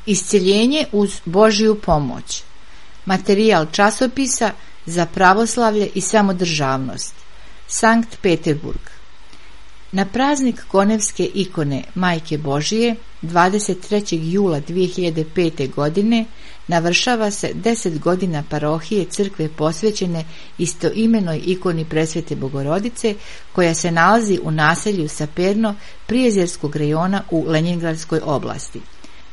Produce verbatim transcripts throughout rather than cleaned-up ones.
Isceljenje uz Božju pomoć. Materijal časopisa za pravoslavlje i samodržavnost. Sankt Peterburg. Na praznik konevske ikone Majke Božije dvadeset trećeg jula dvije hiljade pete. godine navršava se deset godina parohije crkve posvećene istoimenoj ikoni Presvete Bogorodice, koja se nalazi u naselju Saperno Prijezerskog rejona u Lenjingradskoj oblasti.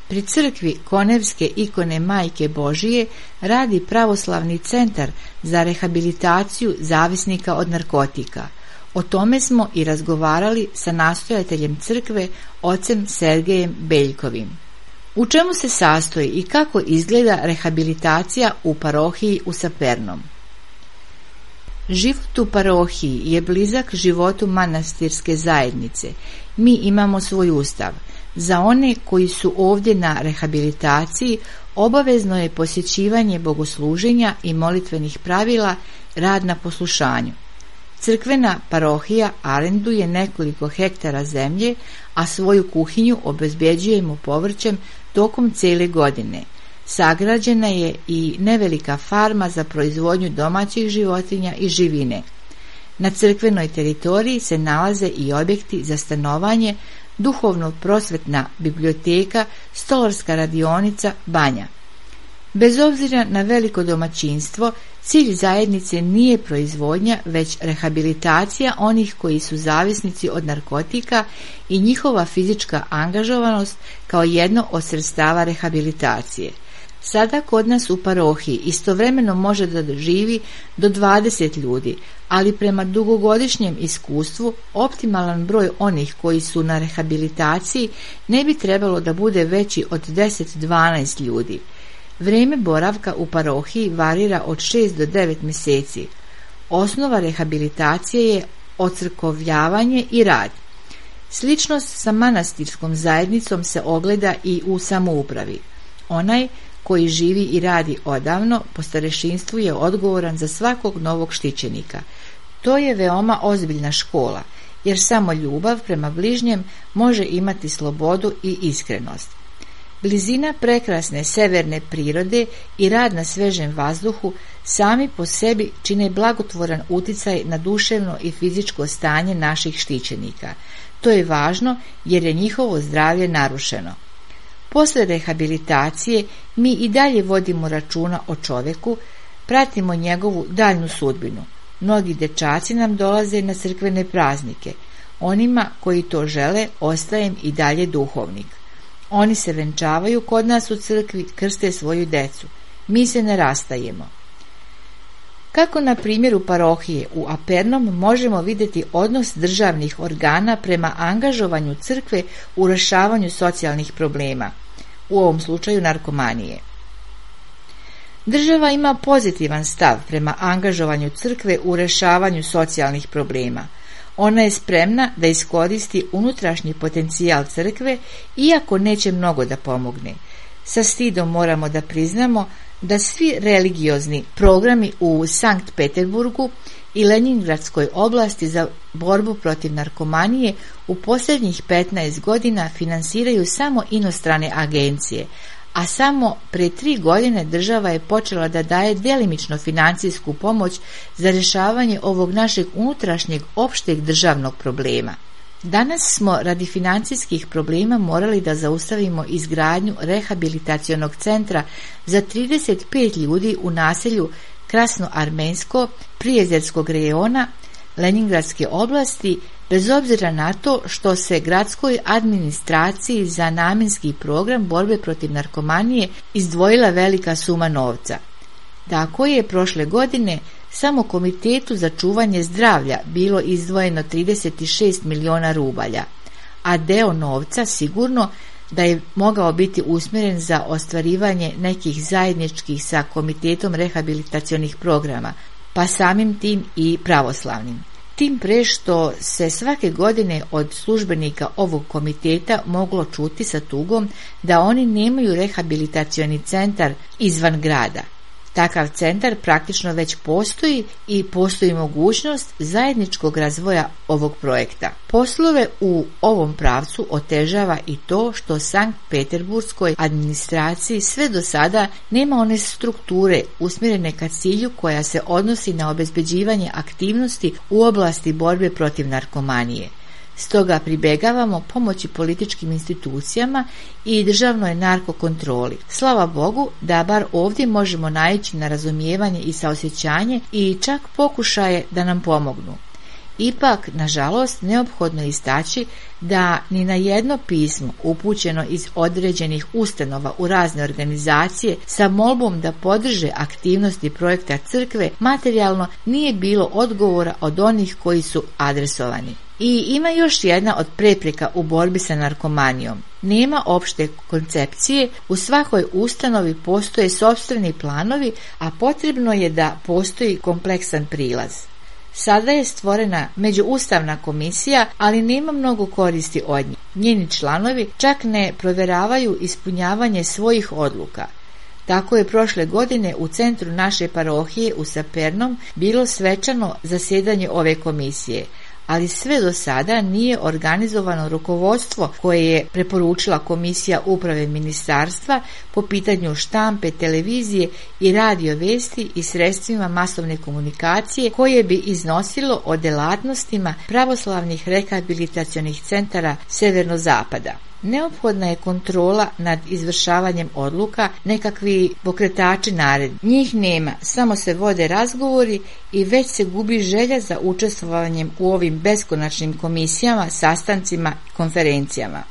Pri crkvi konevske ikone Majke Božije radi pravoslavni centar za rehabilitaciju zavisnika od narkotika. O tome smo i razgovarali sa nastojateljem crkve, ocem Sergejem Beljkovim. U čemu se sastoji i kako izgleda rehabilitacija u parohiji u Sapernom? Život u parohiji je blizak životu manastirske zajednice. Mi imamo svoj ustav. Za one koji su ovdje na rehabilitaciji obavezno je posjećivanje bogosluženja i molitvenih pravila, rad na poslušanju. Crkvena parohija arenduje nekoliko hektara zemlje, a svoju kuhinju obezbjeđujemo povrćem tokom cijele godine. Sagrađena je i nevelika farma za proizvodnju domaćih životinja i živine. Na crkvenoj teritoriji se nalaze i objekti za stanovanje, duhovno-prosvetna biblioteka, stolarska radionica, banja. Bez obzira na veliko domaćinstvo, cilj zajednice nije proizvodnja, već rehabilitacija onih koji su zavisnici od narkotika i njihova fizička angažovanost kao jedno od sredstava rehabilitacije. Sada kod nas u parohiji istovremeno može da živi do dvadeset ljudi, ali prema dugogodišnjem iskustvu optimalan broj onih koji su na rehabilitaciji ne bi trebalo da bude veći od deset do dvanaest ljudi. Vrijeme boravka u parohiji varira od šest do devet mjeseci. Osnova rehabilitacije je ocrkovljavanje i rad. Sličnost sa manastirskom zajednicom se ogleda i u samoupravi. Onaj koji živi i radi odavno po starešinstvu je odgovoran za svakog novog štićenika. To je veoma ozbiljna škola, jer samo ljubav prema bližnjem može imati slobodu i iskrenost. Blizina prekrasne severne prirode i rad na svežem vazduhu sami po sebi čine blagotvoran uticaj na duševno i fizičko stanje naših štićenika. To je važno jer je njihovo zdravlje narušeno. Posle rehabilitacije mi i dalje vodimo računa o čovjeku, pratimo njegovu daljnu sudbinu. Mnogi dečaci nam dolaze na crkvene praznike. Onima koji to žele ostajem i dalje duhovnik. Oni se venčavaju kod nas u crkvi, krste svoju decu. Mi se ne rastajemo. Kako na primjeru parohije u Apernom možemo vidjeti odnos državnih organa prema angažovanju crkve u rješavanju socijalnih problema, u ovom slučaju narkomanije. Država ima pozitivan stav prema angažovanju crkve u rješavanju socijalnih problema. Ona je spremna da iskoristi unutrašnji potencijal crkve, iako neće mnogo da pomogne. Sa stidom moramo da priznamo da svi religiozni programi u Sankt Peterburgu i Lenjingradskoj oblasti za borbu protiv narkomanije u posljednjih petnaest godina finansiraju samo inostrane agencije, a samo pre tri godine država je počela da daje djelimično financijsku pomoć za rješavanje ovog našeg unutrašnjeg opšteg državnog problema. Danas smo radi financijskih problema morali da zaustavimo izgradnju rehabilitacionog centra za trideset pet ljudi u naselju Krasnoarmensko Prijezerskog rejona Lenjingradske oblasti, bez obzira na to što se gradskoj administraciji za namjenski program borbe protiv narkomanije izdvojila velika suma novca. Tako je prošle godine samo Komitetu za čuvanje zdravlja bilo izdvojeno trideset šest miliona rubalja, a deo novca sigurno da je mogao biti usmjeren za ostvarivanje nekih zajedničkih sa Komitetom rehabilitacionih programa, pa samim tim i pravoslavnim. Tim pre što se svake godine od službenika ovog komiteta moglo čuti sa tugom da oni nemaju rehabilitacioni centar izvan grada. Takav centar praktično već postoji i postoji mogućnost zajedničkog razvoja ovog projekta. Poslove u ovom pravcu otežava i to što Sankt Peterburškoj administraciji sve do sada nema one strukture usmjerene ka cilju koja se odnosi na obezbeđivanje aktivnosti u oblasti borbe protiv narkomanije. Stoga pribegavamo pomoći političkim institucijama i državnoj narkokontroli. Slava Bogu da bar ovdje možemo naići na razumijevanje i saosjećanje i čak pokušaje da nam pomognu. Ipak, nažalost, neophodno je istaći da ni na jedno pismo upućeno iz određenih ustanova u razne organizacije sa molbom da podrže aktivnosti projekta crkve materijalno nije bilo odgovora od onih koji su adresovani. I ima još jedna od prepreka u borbi sa narkomanijom. Nema opšte koncepcije, u svakoj ustanovi postoje sopstveni planovi, a potrebno je da postoji kompleksan prilaz. Sada je stvorena međuustavna komisija, ali nema mnogo koristi od nje. Njeni članovi čak ne provjeravaju ispunjavanje svojih odluka. Tako je prošle godine u centru naše parohije u Sapernom bilo svečano zasjedanje ove komisije, ali sve do sada nije organizovano rukovodstvo koje je preporučila Komisija uprave ministarstva po pitanju štampe, televizije i radio vesti i sredstvima masovne komunikacije koje bi iznosilo o delatnostima pravoslavnih rehabilitacionih centara severno-zapada. Neophodna je kontrola nad izvršavanjem odluka, nekakvi pokretači naredbi. Njih nema, samo se vode razgovori i već se gubi želja za učestvovanjem u ovim beskonačnim komisijama, sastancima i konferencijama.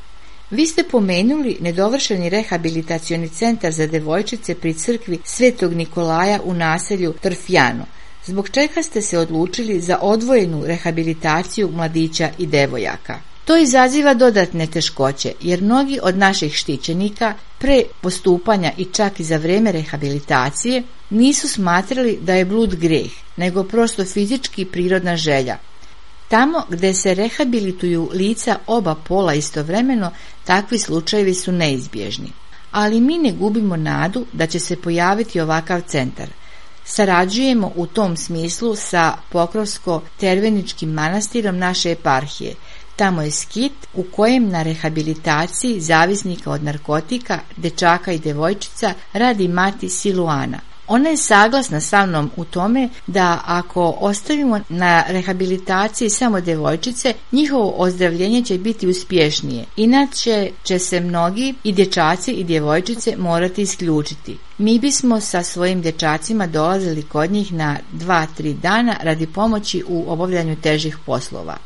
Vi ste pomenuli nedovršeni rehabilitacioni centar za devojčice pri crkvi Svetog Nikolaja u naselju Trfjano. Zbog čega ste se odlučili za odvojenu rehabilitaciju mladića i devojaka? To izaziva dodatne teškoće, jer mnogi od naših štićenika pre postupanja i čak i za vrijeme rehabilitacije nisu smatrali da je blud greh, nego prosto fizički prirodna želja. Tamo gdje se rehabilituju lica oba pola istovremeno, takvi slučajevi su neizbježni. Ali mi ne gubimo nadu da će se pojaviti ovakav centar. Sarađujemo u tom smislu sa Pokrovsko-Terveničkim manastirom naše eparhije. Tamo je skit u kojem na rehabilitaciji zavisnika od narkotika, dečaka i devojčica radi mati Siluana. Ona je saglasna sa mnom u tome da ako ostavimo na rehabilitaciji samo devojčice, njihovo ozdravljenje će biti uspješnije. Inače će se mnogi i dječaci i djevojčice morati isključiti. Mi bismo sa svojim dječacima dolazili kod njih na dva tri dana radi pomoći u obavljanju težih poslova.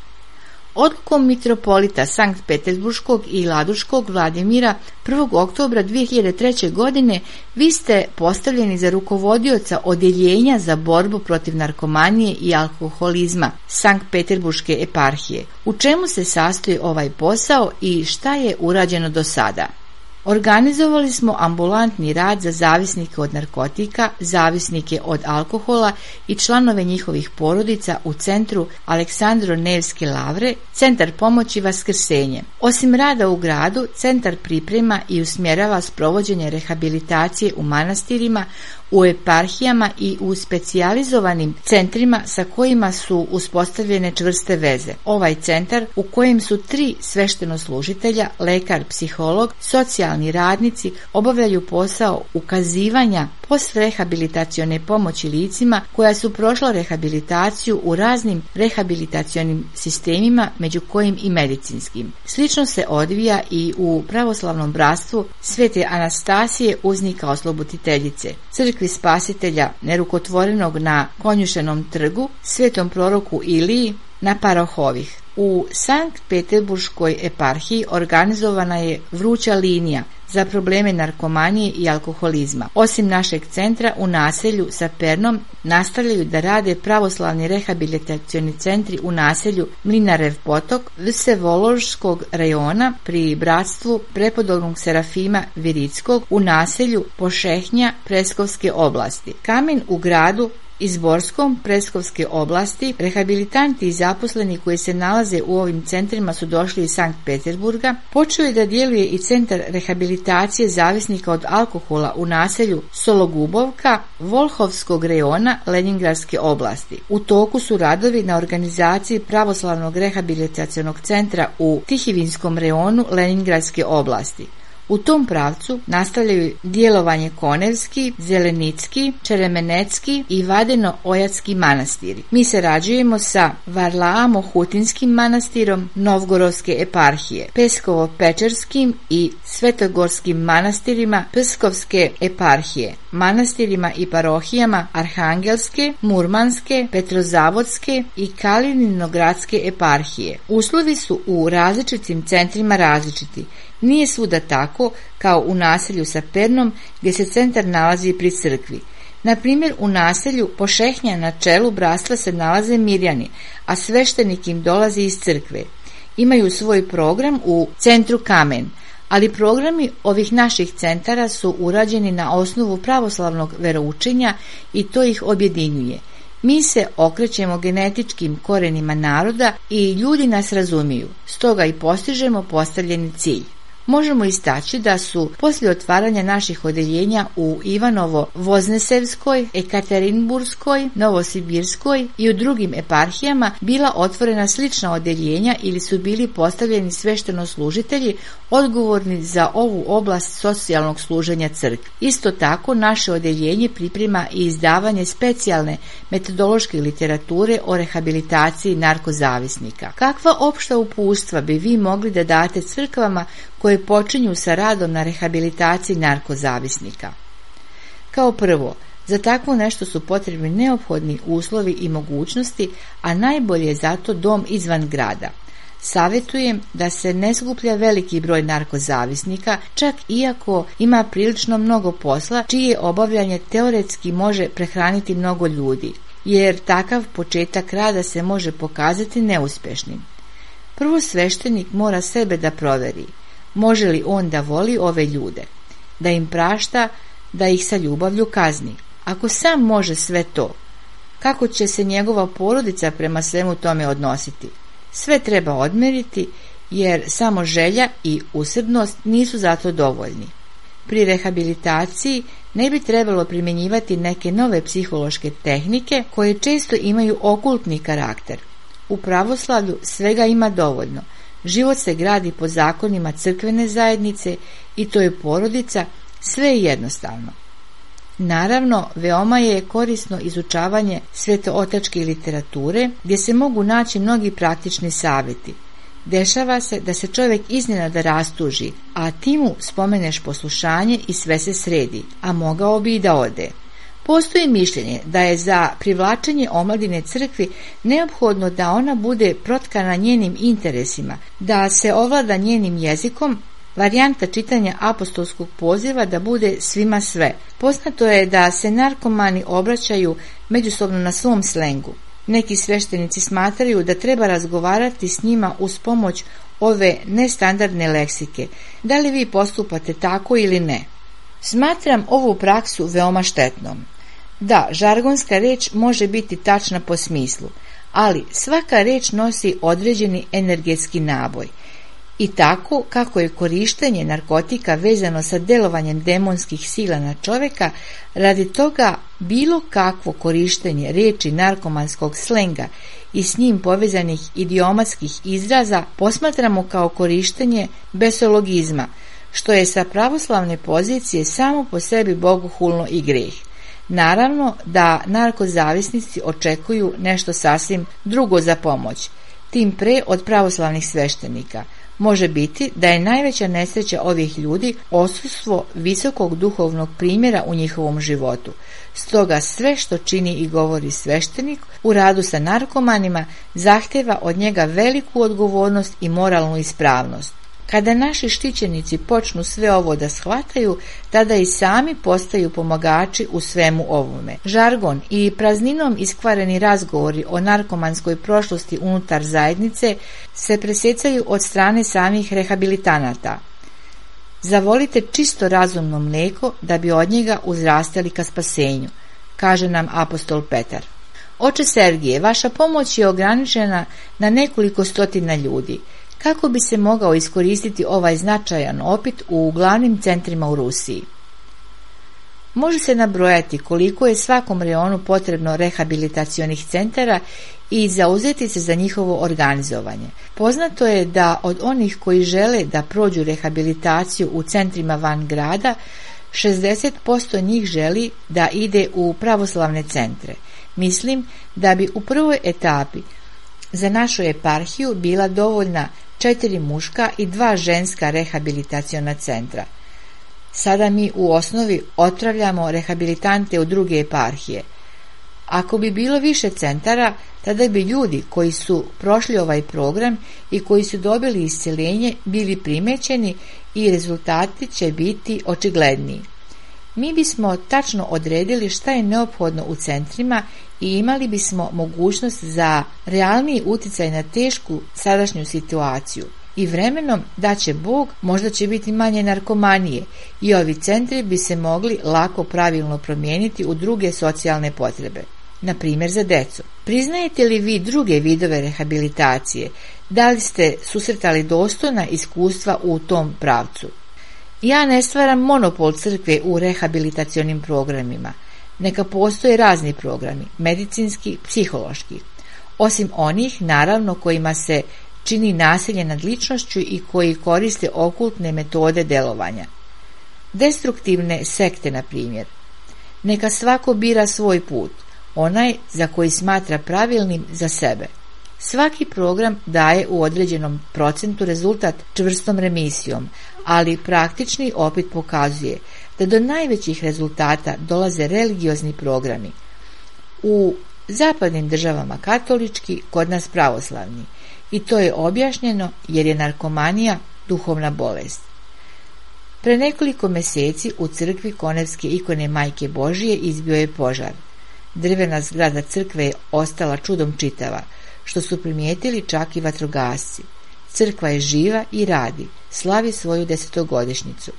Odlukom mitropolita Sankt Peterburškog i Laduškog Vladimira prvog oktobra dvije hiljade treće. godine vi ste postavljeni za rukovodioca odjeljenja za borbu protiv narkomanije i alkoholizma Sankt Peterburške eparhije. U čemu se sastoji ovaj posao i šta je urađeno do sada? Organizovali smo ambulantni rad za zavisnike od narkotika, zavisnike od alkohola i članove njihovih porodica u centru Aleksandro Nevske lavre, centar pomoći Vaskrsenje. Osim rada u gradu, centar priprema i usmjerava sprovođenje rehabilitacije u manastirima, u eparhijama i u specijalizovanim centrima sa kojima su uspostavljene čvrste veze. Ovaj centar u kojem su tri sveštenoslужitelja, lekar, psiholog, socijalni radnici obavljaju posao ukazivanja postrehabilitacione pomoći licima koja su prošla rehabilitaciju u raznim rehabilitacionim sistemima, među kojim i medicinskim. Slično se odvija i u pravoslavnom bratstvu Svete Anastasije uznika osloboditeljice, crkvi Spasitelja nerukotvorenog na Konjušenom trgu, svetom proroku Iliji na Parahovih. U Sankt Peterburškoj eparhiji organizovana je vruća linija za probleme narkomanije i alkoholizma. Osim našeg centra u naselju sa Pernom nastavljaju da rade pravoslavni rehabilitacioni centri u naselju Mlinarev potok Vsevoložskog rajona pri bratstvu prepodobnog Serafima Virickog u naselju Pošehnja Preskovske oblasti. Kamen u gradu iz Borskom, Preskovske oblasti. Rehabilitanti i zaposleni koji se nalaze u ovim centrima su došli iz Sankt Peterburga. Počeo je da djeluje i centar rehabilitacije zavisnika od alkohola u naselju Sologubovka, Volhovskog rejona Leningradske oblasti. U toku su radovi na organizaciji pravoslavnog rehabilitacionog centra u Tihivinskom rejonu Leningradske oblasti. U tom pravcu nastavljaju djelovanje Konevski, Zelenicki, Čeremenecki i Vadeno-Ojatski manastiri. Mi sarađujemo sa Varlaamo-Hutinskim manastirom Novgorodske eparhije, Peskovo-Pečerskim i Svetogorskim manastirima Pskovske eparhije, manastirima i parohijama Arhangelske, Murmanske, Petrozavodske i Kalininogradske eparhije. Uslovi su u različitim centrima različiti. Nije svuda tako kao u naselju sa Pernom gdje se centar nalazi pri crkvi. Na primjer, u naselju Pošehnja na čelu bratstva se nalaze Mirjani, a sveštenik im dolazi iz crkve. Imaju svoj program u centru Kamen, ali programi ovih naših centara su urađeni na osnovu pravoslavnog veroučenja i to ih objedinjuje. Mi se okrećemo genetičkim korenima naroda i ljudi nas razumiju, stoga i postižemo postavljeni cilj. Možemo istaći da su poslije otvaranja naših odeljenja u Ivanovo-Voznesevskoj, Ekaterinburskoj, Novosibirskoj i u drugim eparhijama bila otvorena slična odeljenja ili su bili postavljeni sveštenoslужitelji odgovorni za ovu oblast socijalnog služenja crkvi. Isto tako naše odeljenje priprema i izdavanje specijalne metodološke literature o rehabilitaciji narkozavisnika. Kakva opšta uputstva bi vi mogli da date crkvama koje počinju sa radom na rehabilitaciji narkozavisnika? Kao prvo, za takvo nešto su potrebni neophodni uslovi i mogućnosti, a najbolje je zato dom izvan grada. Savjetujem da se ne skuplja veliki broj narkozavisnika, čak iako ima prilično mnogo posla, čije obavljanje teoretski može prehraniti mnogo ljudi, jer takav početak rada se može pokazati neuspješnim. Prvo sveštenik mora sebe da proveri. Može li on da voli ove ljude, da im prašta, da ih sa ljubavlju kazni? Ako sam može sve to, kako će se njegova porodica prema svemu tome odnositi? Sve treba odmeriti, jer samo želja i usrdnost nisu zato dovoljni. Pri rehabilitaciji ne bi trebalo primjenjivati neke nove psihološke tehnike koje često imaju okultni karakter. U pravoslavlju svega ima dovoljno. Život se gradi po zakonima crkvene zajednice i to je porodica, sve je jednostavno. Naravno, veoma je korisno izučavanje svetootačke literature gdje se mogu naći mnogi praktični savjeti. Dešava se da se čovjek iznenada rastuži, a ti mu spomeneš poslušanje i sve se sredi, a mogao bi i da ode. Postoji mišljenje da je za privlačenje omladine crkvi neophodno da ona bude protkana njenim interesima, da se ovlada njenim jezikom, varijanta čitanja apostolskog poziva da bude svima sve. Poznato je da se narkomani obraćaju međusobno na svom slengu. Neki sveštenici smatraju da treba razgovarati s njima uz pomoć ove nestandardne leksike. Da li vi postupate tako ili ne? Smatram ovu praksu veoma štetnom. Da, žargonska reč može biti tačna po smislu, ali svaka reč nosi određeni energetski naboj. I tako kako je korištenje narkotika vezano sa delovanjem demonskih sila na čovjeka, radi toga bilo kakvo korištenje riječi narkomanskog slenga i s njim povezanih idiomatskih izraza posmatramo kao korištenje besologizma, što je sa pravoslavne pozicije samo po sebi bogohulno i greh. Naravno da narkozavisnici očekuju nešto sasvim drugo za pomoć, tim pre od pravoslavnih sveštenika. Može biti da je najveća nesreća ovih ljudi odsustvo visokog duhovnog primjera u njihovom životu. Stoga sve što čini i govori sveštenik u radu sa narkomanima zahtjeva od njega veliku odgovornost i moralnu ispravnost. Kada naši štićenici počnu sve ovo da shvataju, tada i sami postaju pomagači u svemu ovome. Žargon i prazninom iskvareni razgovori o narkomanskoj prošlosti unutar zajednice se presecaju od strane samih rehabilitanata. Zavolite čisto razumno mlijeko da bi od njega uzrastali ka spasenju. kaže nam apostol Petar. Oče Sergije, vaša pomoć je ograničena na nekoliko stotina ljudi. Kako bi se mogao iskoristiti ovaj značajan opit u glavnim centrima u Rusiji? Može se nabrojati koliko je svakom reonu potrebno rehabilitacionih centara i zauzeti se za njihovo organizovanje. Poznato je da od onih koji žele da prođu rehabilitaciju u centrima van grada, šezdeset posto njih želi da ide u pravoslavne centre. Mislim da bi u prvoj etapi za našu eparhiju bila dovoljna četiri muška i dva ženska rehabilitaciona centra. Sada mi u osnovi otpravljamo rehabilitante u druge eparhije. Ako bi bilo više centara, tada bi ljudi koji su prošli ovaj program i koji su dobili isceljenje bili primećeni i rezultati će biti očigledniji. Mi bismo tačno odredili šta je neophodno u centrima i imali bismo mogućnost za realniji uticaj na tešku sadašnju situaciju. I vremenom da će Bog, možda će biti manje narkomanije i ovi centri bi se mogli lako pravilno promijeniti u druge socijalne potrebe, na primjer za decu. Priznajete li vi druge vidove rehabilitacije? Da li ste susretali dostojna iskustva u tom pravcu? Ja ne stvaram monopol crkve u rehabilitacionim programima. Neka postoje razni programi, medicinski, psihološki. Osim onih, naravno, kojima se čini nasilje nad ličnošću i koji koriste okultne metode delovanja. Destruktivne sekte, na primjer. Neka svako bira svoj put, onaj za koji smatra pravilnim za sebe. Svaki program daje u određenom procentu rezultat čvrstom remisijom, ali praktični opit pokazuje da do najvećih rezultata dolaze religiozni programi. U zapadnim državama katolički, kod nas pravoslavni. I to je objašnjeno jer je narkomanija duhovna bolest. Pre nekoliko mjeseci u crkvi Konevske ikone Majke Božije izbio je požar. Drvena zgrada crkve je ostala čudom čitava, što su primijetili čak i vatrogasci. Crkva je živa i radi, slavi svoju desetogodišnjicu.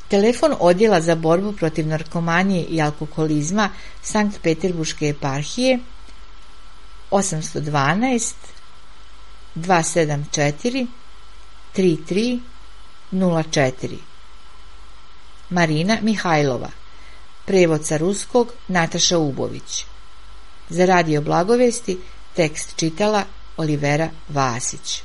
Telefon odjela za borbu protiv narkomanije i alkoholizma Sankt Peterburške eparhije osam jedan dva dva sedam četiri tri tri nula četiri. Marina Mihajlova. Prevod sa ruskog Nataša Ubović. Za Radio Blagovesti tekst čitala Olivera Vasić.